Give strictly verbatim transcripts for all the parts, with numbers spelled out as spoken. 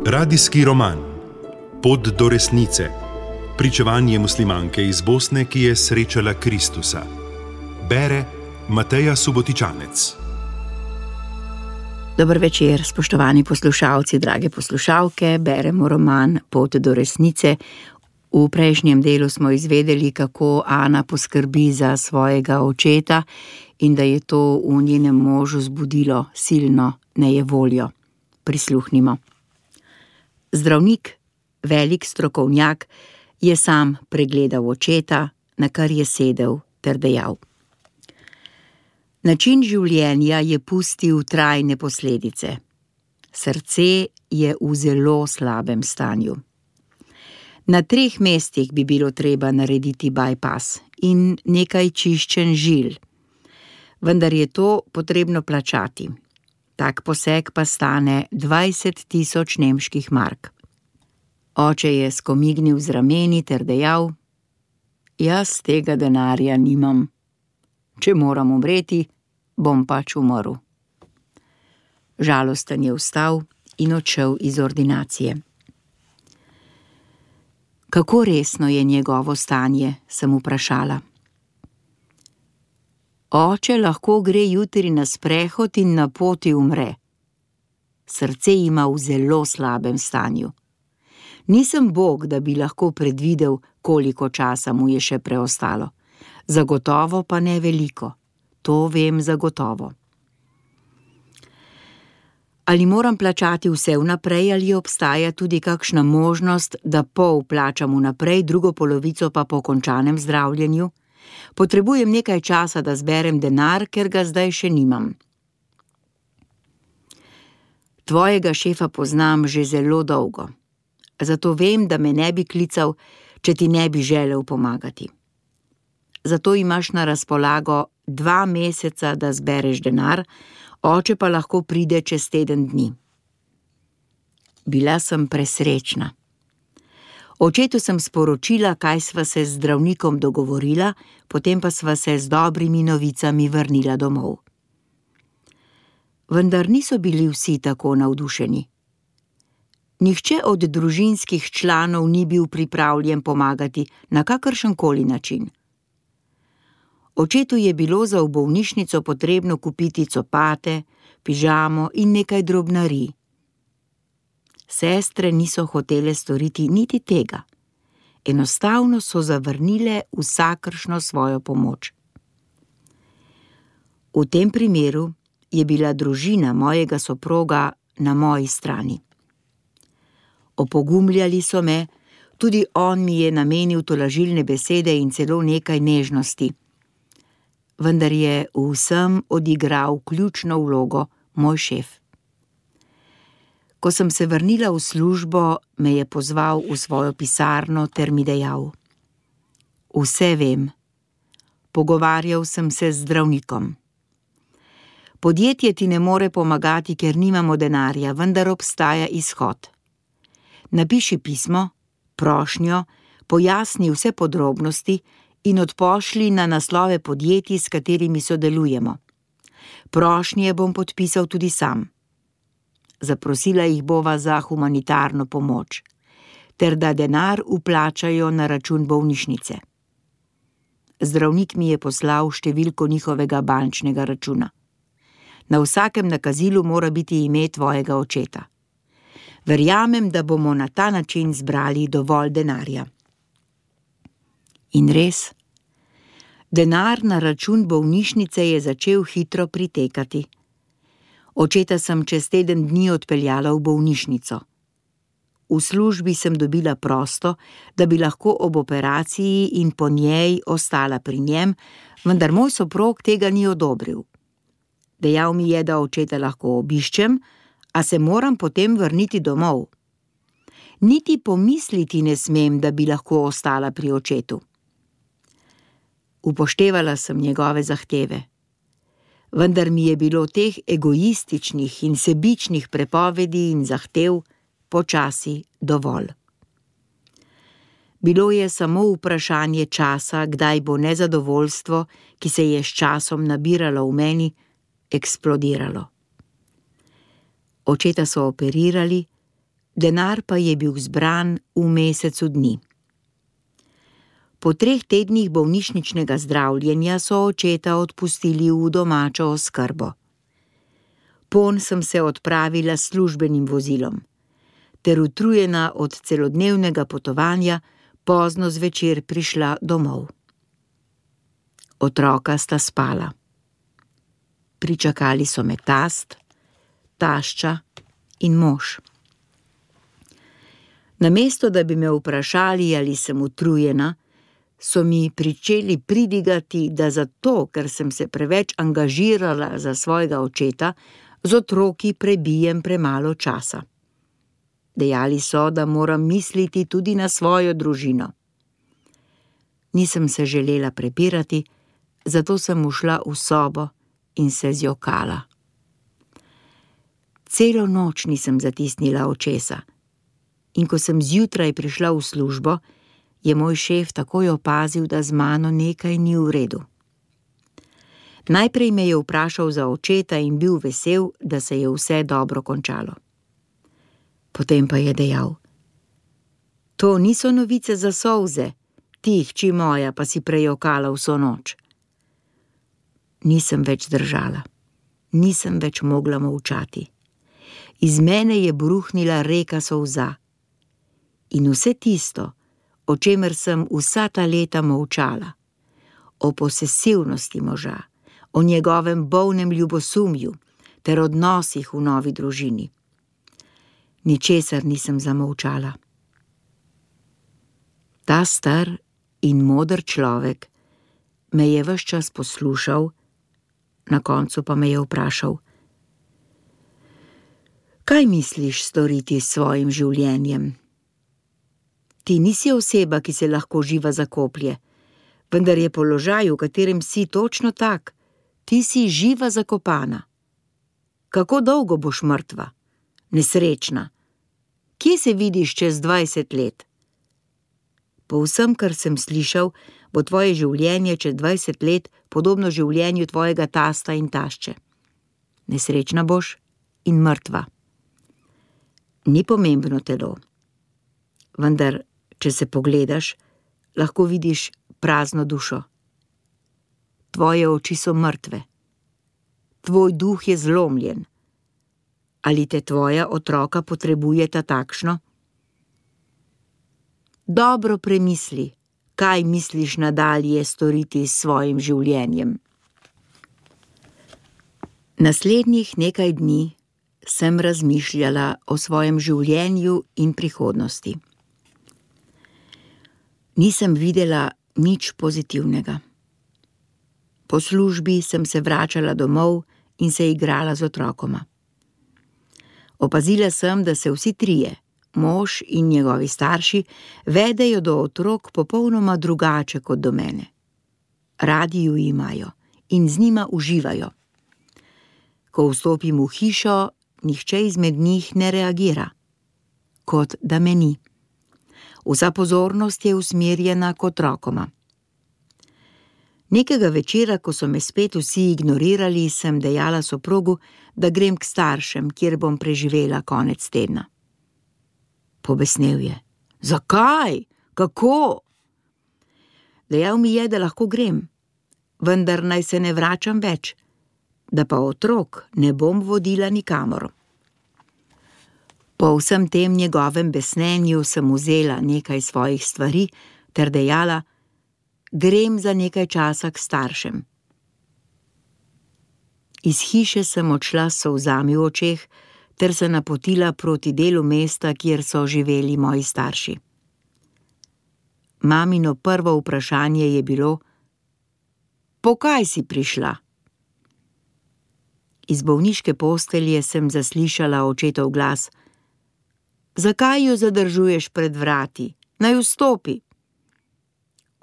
Radijski roman Pot do resnice. Pričevanje muslimanke iz Bosne, ki je srečala Kristusa. Bere Mateja Subotičanec. Dober večer, spoštovani poslušalci, drage poslušalke. Beremo roman Pot do resnice. V prejšnjem delu smo izvedeli, kako Ana poskrbi za svojega očeta in da je to v njenem možu zbudilo silno nejevoljo. Prisluhnimo. Zdravnik, velik strokovnjak, je sam pregledal očeta, na kar je sedel ter dejal: način življenja je pustil trajne posledice. Srce je v zelo slabem stanju. Na treh mestih bi bilo treba narediti bypass in nekaj čiščenj žil. Vendar je to potrebno plačati. Tak poseg pa stane dvajset tisoč nemških mark. Oče je skomignil z rameni ter dejal: jaz tega denarja nimam. Če moram umreti, bom pač umrl. Žalosten je vstal in odšel iz ordinacije. Kako resno je njegovo stanje, sem vprašala. Oče lahko gre jutri na sprehod in na poti umre. Srce ima v zelo slabem stanju. Nisem Bog, da bi lahko predvidel, koliko časa mu je še preostalo. Zagotovo pa ne veliko. To vem zagotovo. Ali moram plačati vse vnaprej ali obstaja tudi kakšna možnost, da pol plačam vnaprej, drugo polovico pa po končanem zdravljenju? Potrebujem nekaj časa, da zberem denar, ker ga zdaj še nimam. Tvojega šefa poznam že zelo dolgo. Zato vem, da me ne bi klical, če ti ne bi želel pomagati. Zato imaš na razpolago dva meseca, da zbereš denar, oče pa lahko pride čez teden dni. Bila sem presrečna. Očetu sem sporočila, kaj sva se z zdravnikom dogovorila, potem pa sva se z dobrimi novicami vrnila domov. Vendar niso bili vsi tako navdušeni. Nihče od družinskih članov ni bil pripravljen pomagati na kakršenkoli način. Očetu je bilo za v bolnišnico potrebno kupiti copate, pižamo in nekaj drobnarij. Sestre niso hotele storiti niti tega. Enostavno so zavrnile vsakršno svojo pomoč. V tem primeru je bila družina mojega soproga na moji strani. Opogumljali so me, tudi on mi je namenil tolažilne besede in celo nekaj nežnosti. Vendar je v vsem odigral ključno vlogo moj šef. Ko sem se vrnila v službo, me je pozval v svojo pisarno ter mi dejal: vse vem. Pogovarjal sem se z zdravnikom. Podjetje ti ne more pomagati, ker nimamo denarja, vendar obstaja izhod. Napiši pismo, prošnjo, pojasni vse podrobnosti in odpošli na naslove podjetij, s katerimi sodelujemo. Prošnje bom podpisal tudi sam. Zaprosila jih bova za humanitarno pomoč, ter da denar vplačajo na račun bolnišnice. Zdravnik mi je poslal številko njihovega bančnega računa. Na vsakem nakazilu mora biti ime tvojega očeta. Verjamem, da bomo na ta način zbrali dovolj denarja. In res, denar na račun bolnišnice je začel hitro pritekati. Očeta sem čez teden dni odpeljala v bolnišnico. V službi sem dobila prosto, da bi lahko ob operaciji in po njej ostala pri njem, vendar moj soprog tega ni odobril. Dejal mi je, da očeta lahko obiščem, a se moram potem vrniti domov. Niti pomisliti ne smem, da bi lahko ostala pri očetu. Upoštevala sem njegove zahteve. Vendar mi je bilo teh egoističnih in sebičnih prepovedi in zahtev počasi dovolj. Bilo je samo vprašanje časa, kdaj bo nezadovoljstvo, ki se je s časom nabiralo v meni, eksplodiralo. Očeta so operirali, denar pa je bil zbran v mesecu dni. Po treh tednih bolnišničnega zdravljenja so očeta odpustili v domačo oskrbo. Pon sem se odpravila s službenim vozilom, ter utrujena od celodnevnega potovanja pozno zvečer prišla domov. Otroka sta spala. Pričakali so me tast, tašča in mož. Namesto da bi me vprašali, ali sem utrujena, so mi pričeli pridigati, da zato, ker sem se preveč angažirala za svojega očeta, z otroki prebijem premalo časa. Dejali so, da moram misliti tudi na svojo družino. Nisem se želela prepirati, zato sem ušla v sobo in se zjokala. Celo noč nisem zatisnila očesa in ko sem zjutraj prišla v službo, je moj šef takoj opazil, da z mano nekaj ni v redu. Najprej me je vprašal za očeta in bil vesel, da se je vse dobro končalo. Potem pa je dejal: To niso novice za solze, ti, hči moja, pa si prejokala vso noč. Nisem več držala, nisem več mogla molčati. Iz mene je bruhnila reka solza. In vse tisto, o čemer sem vsa ta leta molčala, o posesivnosti moža, o njegovem bolnem ljubosumju ter odnosih v novi družini. Ničesar nisem zamolčala. Ta star in moder človek me je ves čas poslušal, na koncu pa me je vprašal: Kaj misliš storiti s svojim življenjem? Ti nisi oseba, ki se lahko živa zakoplje, vendar je položaj, v katerem si, točno tak. Ti si živa zakopana. Kako dolgo boš mrtva? Nesrečna. Kje se vidiš čez dvajset let? Po vsem, kar sem slišal, bo tvoje življenje čez dvajset let podobno življenju tvojega tasta in tašče. Nesrečna boš in mrtva. Ni pomembno telo. Vendar, če se pogledaš, lahko vidiš prazno dušo. Tvoje oči so mrtve. Tvoj duh je zlomljen. Ali te tvoja otroka potrebujeta takšno? Dobro premisli, kaj misliš nadalje storiti s svojim življenjem. Naslednjih nekaj dni sem razmišljala o svojem življenju in prihodnosti. Nisem videla nič pozitivnega. Po službi sem se vračala domov in se igrala z otrokoma. Opazila sem, da se vsi trije, mož in njegovi starši, vedejo do otrok popolnoma drugače kot do mene. Radi ju imajo in z njima uživajo. Ko vstopim v hišo, nihče izmed njih ne reagira, kot da me ni. Vsa pozornost je usmerjena k otrokoma. Nekega večera, ko so me spet vsi ignorirali, sem dejala soprogu, da grem k staršem, kjer bom preživela konec tedna. Pobesnel je. Zakaj? Kako? Dejal mi je, da lahko grem, vendar naj se ne vračam več, da pa otrok ne bom vodila nikamor. Po vsem tem njegovem besnenju sem vzela nekaj svojih stvari ter dejala: Grem za nekaj časa k staršem. Iz hiše sem odšla s solzami v očeh ter se napotila proti delu mesta, kjer so živeli moji starši. Mamino prvo vprašanje je bilo: Po kaj si prišla? Iz bolniške postelje sem zaslišala očetov glas: Zakaj jo zadržuješ pred vrati? Naj vstopi.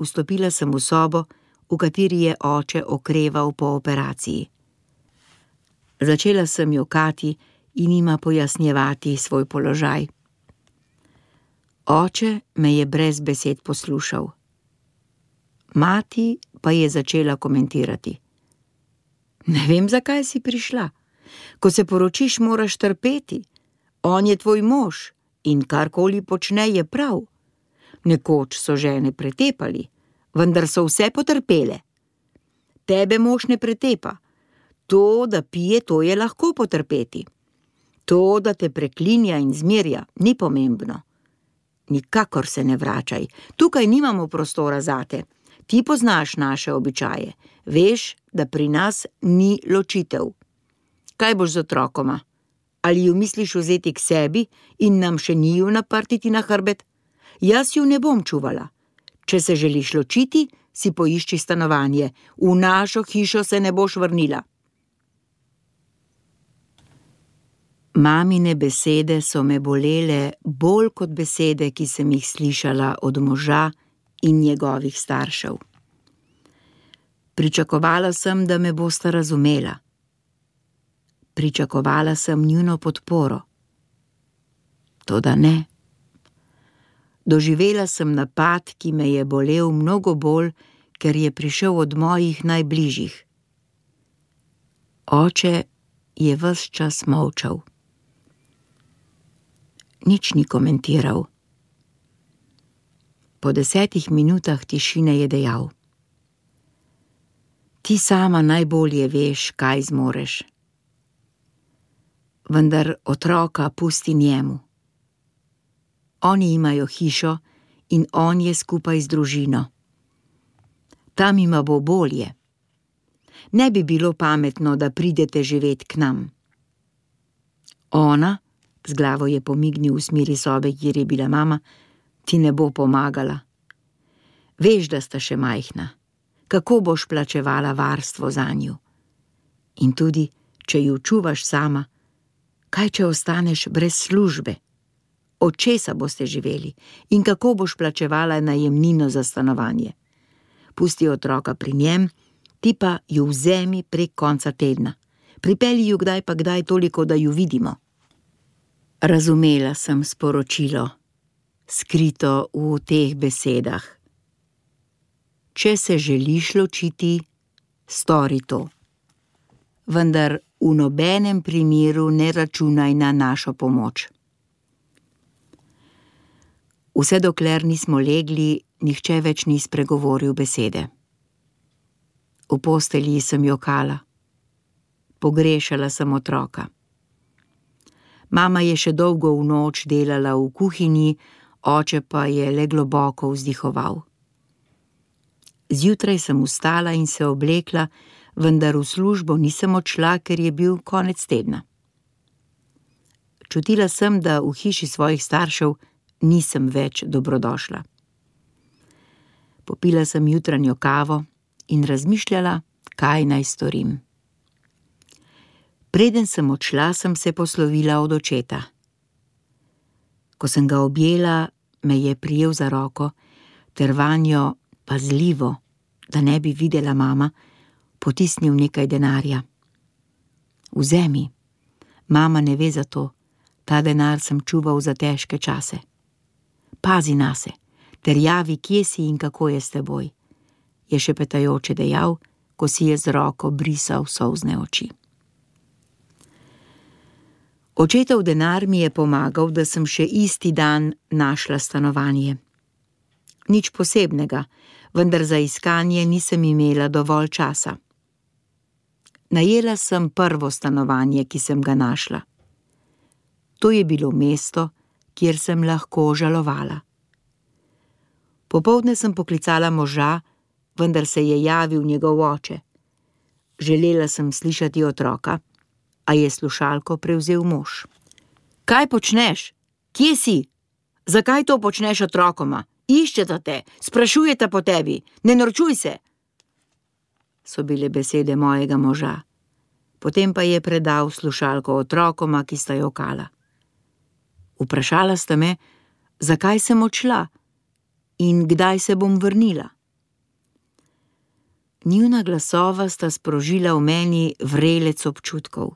Vstopila sem v sobo, v kateri je oče okreval po operaciji. Začela sem jokati in jima pojasnjevati svoj položaj. Oče me je brez besed poslušal. Mati pa je začela komentirati. Ne vem, zakaj si prišla. Ko se poročiš, moraš trpeti. On je tvoj mož in karkoli počne, je prav. Nekoč so žene pretepali, vendar so vse potrpele. Tebe mož ne pretepa. To, da pije, to je lahko potrpeti. To, da te preklinja in zmerja, ni pomembno. Nikakor se ne vračaj. Tukaj nimamo prostora zate. Ti poznaš naše običaje. Veš, da pri nas ni ločitev. Kaj boš z otrokoma? Ali ju misliš vzeti k sebi in nam še njiju naprtiti na hrbet? Jaz ju ne bom čuvala. Če se želiš ločiti, si poišči stanovanje. V našo hišo se ne boš vrnila. Mamine besede so me bolele bolj kot besede, ki sem jih slišala od moža in njegovih staršev. Pričakovala sem, da me bosta razumela. Pričakovala sem njuno podporo. Toda ne. Doživela sem napad, ki me je bolel mnogo bolj, ker je prišel od mojih najbližjih. Oče je ves čas molčal. Nič ni komentiral. Po desetih minutah tišine je dejal: Ti sama najbolje veš, kaj zmoreš. Vendar otroka pusti njemu. Oni imajo hišo in on je skupaj z družino. Tam ima bo bolje. Ne bi bilo pametno, da pridete živet k nam. Ona, z glavo je pomignil v smeri sobe, kjer je bila mama, ti ne bo pomagala. Veš, da sta še majhna. Kako boš plačevala varstvo zanju? In tudi, če ju čuvaš sama, kaj če ostaneš brez službe? Od česa boste živeli in kako boš plačevala najemnino za stanovanje? Pusti otroka pri njem, ti pa ju vzemi prek konca tedna. Pripelji ju kdaj pa kdaj toliko, da ju vidimo. Razumela sem sporočilo, skrito v teh besedah. Če se želiš ločiti, stori to. Vendar v nobenem primeru ne računaj na našo pomoč. Vse dokler nismo legli, nihče več ni spregovoril besede. V postelji sem jokala. Pogrešala sem otroka. Mama je še dolgo v noč delala v kuhinji, oče pa je le globoko vzdihoval. Zjutraj sem vstala in se oblekla, vendar v službo nisem odšla, ker je bil konec tedna. Čutila sem, da v hiši svojih staršev nisem več dobrodošla. Popila sem jutranjo kavo in razmišljala, kaj naj storim. Preden sem odšla, sem se poslovila od očeta. Ko sem ga objela, me je prijel za roko, ter vanjo pazljivo, da ne bi videla mama, potisnil nekaj denarja. Vzemi, mama ne ve za to, ta denar sem čuval za težke čase. Pazi nase, ter javi, kje si in kako je s teboj, je šepetajoče dejal, ko si je z roko brisal solzne oči. Očetov denar mi je pomagal, da sem še isti dan našla stanovanje. Nič posebnega, vendar za iskanje nisem imela dovolj časa. Najela sem prvo stanovanje, ki sem ga našla. To je bilo mesto, kjer sem lahko žalovala. Popoldne sem poklicala moža, vendar se je javil njegov oče. Želela sem slišati otroka, a je slušalko prevzel mož. Kaj počneš? Kje si? Zakaj to počneš otrokoma? Iščeta te, sprašujeta po tebi, ne norčuj se! So bile besede mojega moža. Potem pa je predal slušalko otrokoma, ki sta jokala. Vprašala sta me, zakaj sem odšla in kdaj se bom vrnila. Njuna glasova sta sprožila v meni vrelec občutkov.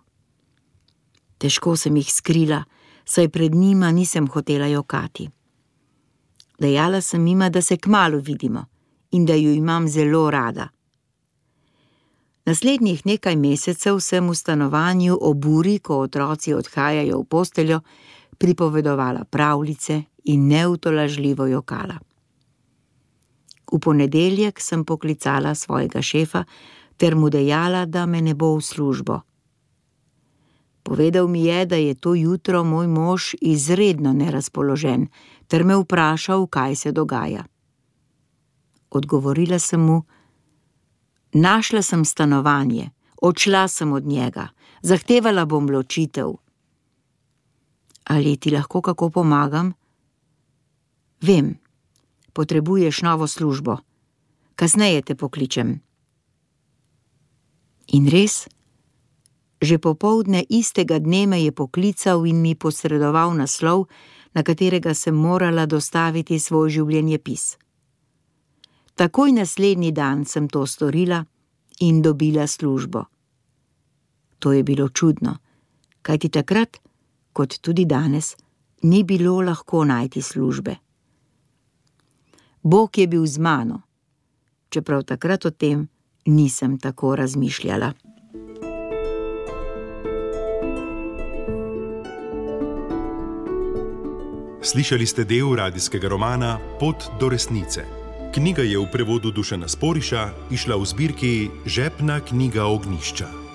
Težko sem jih skrila, saj pred njima nisem hotela jokati. Dejala sem jima, da se kmalu vidimo in da ju imam zelo rada. Naslednjih nekaj mesecev sem v stanovanju ob uri, ko otroci odhajajo v posteljo, pripovedovala pravljice in neutolažljivo jokala. V ponedeljek sem poklicala svojega šefa ter mu dejala, da me ne bo v službo. Povedal mi je, da je to jutro moj mož izredno nerazpoložen, ter me vprašal, kaj se dogaja. Odgovorila sem mu: našla sem stanovanje, odšla sem od njega, zahtevala bom ločitev. Ali ti lahko kako pomagam? Vem, potrebuješ novo službo. Kasneje te pokličem. In res, že popoldne istega dne me je poklical in mi posredoval naslov, na katerega sem morala dostaviti svoj življenjepis. Takoj naslednji dan sem to storila in dobila službo. To je bilo čudno, kajti takrat, kot tudi danes, ni bilo lahko najti službe. Bog je bil z mano, čeprav takrat o tem nisem tako razmišljala. Slišali ste del radijskega romana Pot do resnice. Knjiga je v prevodu Dušana Sporiša izšla v zbirki Žepna knjiga Ognjišča.